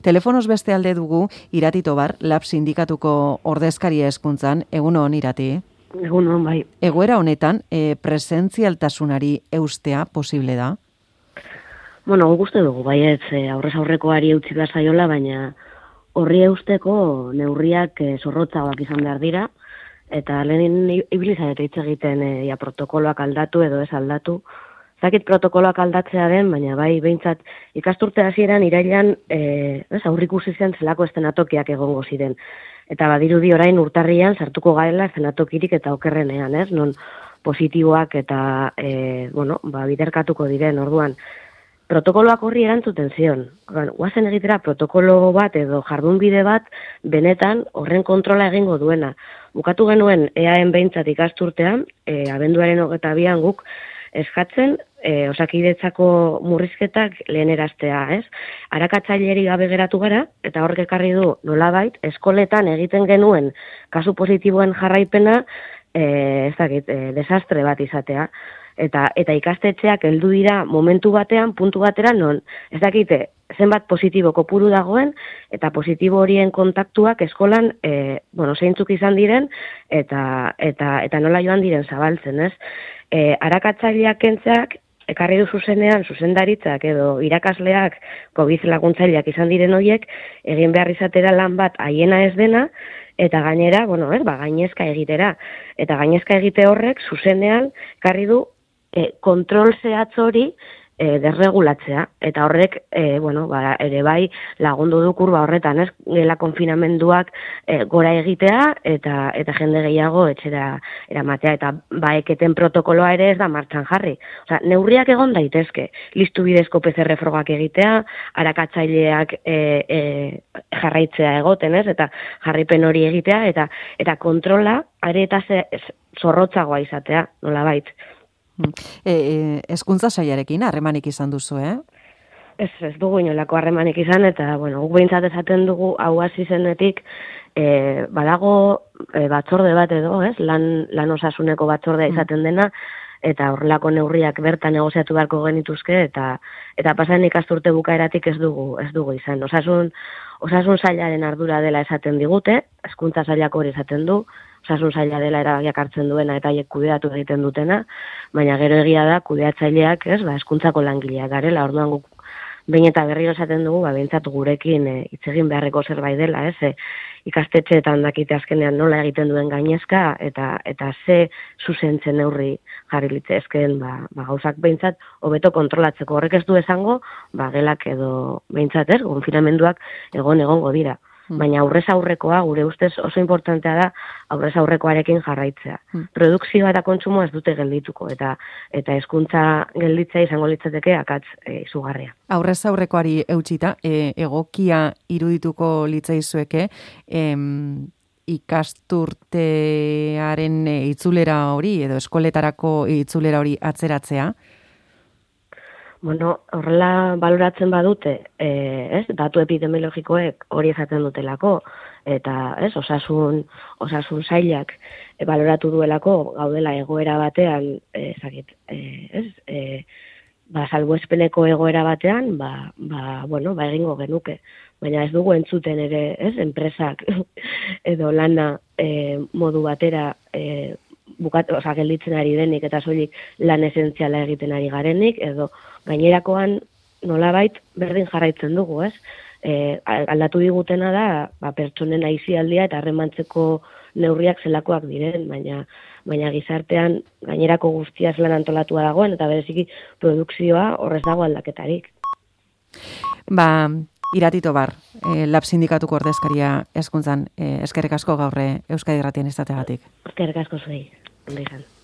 Telefonoz beste alde dugu Irati Tobar, Lab sindikatuko ordezkaria hezkuntzan, egun on Irati. Egun on, bai. Egoera honetan, presentzialtasunari eustea posible da? Bueno, gustu dugu, baietz, aurrez aurrekoari eutsi behar zaiola, baina horri eusteko neurriak zorrotzagoak izan behar dira, eta lehen ibilizarete hitz egiten protokoloak aldatu edo ez aldatu. Zakit protokoloak aldatzea den, baina bai behintzat ikasturte hasieran irailan aurrikusi zen zelako eszenatokiak egongo ziren. Eta badirudi orain urtarrian sartuko garela eszenatokirik eta okerrenean, ez? Non positiboak eta biderkatuko diren orduan. Protokoloak horri erantzuten zion. Guazen egitera protokolo bat edo jardunbide bat benetan horren kontrola egingo duena. Bukatu genuen EAen behintzat ikasturtean, abenduaren 22an guk eskatzen Osakidetzako murrizketak leheneraztea, ez? Arakatzaileri gabe geratu gara, eta horrek ekarri du nolabait, eskoletan egiten genuen kasu positiboen jarraipena, desastre bat izatea. Eta ikastetxeak heldu dira momentu batean, puntu batera, non, ez dakite, zenbat positibo kopuru dagoen, eta positibo horien kontaktuak eskolan, zeintzuk izan diren, eta nola joan diren zabaltzen, ez? Arakatzaileak kentzeak, ekarri du zuzenean, zuzendaritzak edo irakasleak, COVID laguntzaileak izan diren horiek, egin behar izatera lan bat haiena ez dena, eta gainera, gainezka egitera. Eta gainezka egite horrek, zuzenean, ekarri du, kontrol zehatz hori desregulatzea, eta horrek ere bai lagundu du kurba horretan, ez? Gela konfinamenduak gora egitea eta jende gehiago etxera eramatea, eta baeketen protokoloa ere ez da martxan jarri. Osea, neurriak egon daitezke, listu bidezko PCR frogak egitea, arakatzaileak jarraitzea egoten, ez? Eta jarripen hori egitea, eta kontrola are eta zorrotzagoa izatea, nolabait. Hezkuntza sailarekin harremanik izan duzu, Ez dugu inolako harremanik izan, eta, guk behintzat esaten dugu hau hasi zenetik, badago batzorde bat edo, ez? Lan osasuneko batzordea izaten dena, eta horrelako neurriak bertan negoziatu beharko genituzke, eta pasan ikasturte bukaeratik ez dugu izan. Osasun sailaren ardura dela esaten digute, hezkuntza sailak hori esaten du, osasun saila dela erabakiak hartzen duena eta haiek kudeatu egiten dutena, baina gero egia da kudeatzaileak, hezkuntzako langileak garela, orduan guk behin eta berriro esaten dugu, behintzat gurekin hitz egin beharreko zerbait dela, ikastetxeetan dakite azkenean nola egiten duen gainezka, eta ze zuzentzen neurri jarri litzezkeen, gauzak behintzat hobeto kontrolatzeko. Horrek ez du esango, gelak edo behintzat konfinamenduak egongo dira. Baina aurrez aurrekoa, gure ustez oso importantea da aurrez aurrekoarekin jarraitzea. Produkzioa eta kontsumoa ez dute geldituko, eta hezkuntza gelditzea izango litzateke akats izugarria. Aurrez aurrekoari eutsita, egokia irudituko litzaizueke, ikasturtearen itzulera hori, edo eskoletarako itzulera hori atzeratzea? Horrela baloratzen badute, datu epidemiologikoek hori esaten dutelako, eta osasun sailak baloratu duelako gaudela egoera batean, salbuespeneko egoera batean, egingo genuke. Baina ez dugu entzuten ere, enpresak edo lana modu batera gelditzen ari denik, eta soilik lan esentziala egiten ari garenik, edo gainerakoan nolabait berdin jarraitzen dugu, aldatu digutena da, pertsonen aisialdia eta harremantzeko neurriak zelakoak diren, baina gizartean gainerako guztia lan antolatua dagoen, eta bereziki produkzioa horrez dago aldaketarik. Irati Tobar, Lab sindikatuko ordezkaria hezkuntzan, eskerrik asko gaur Euskadi Irratian izateagatik. Eskerrik asko zuei. Ondo izan.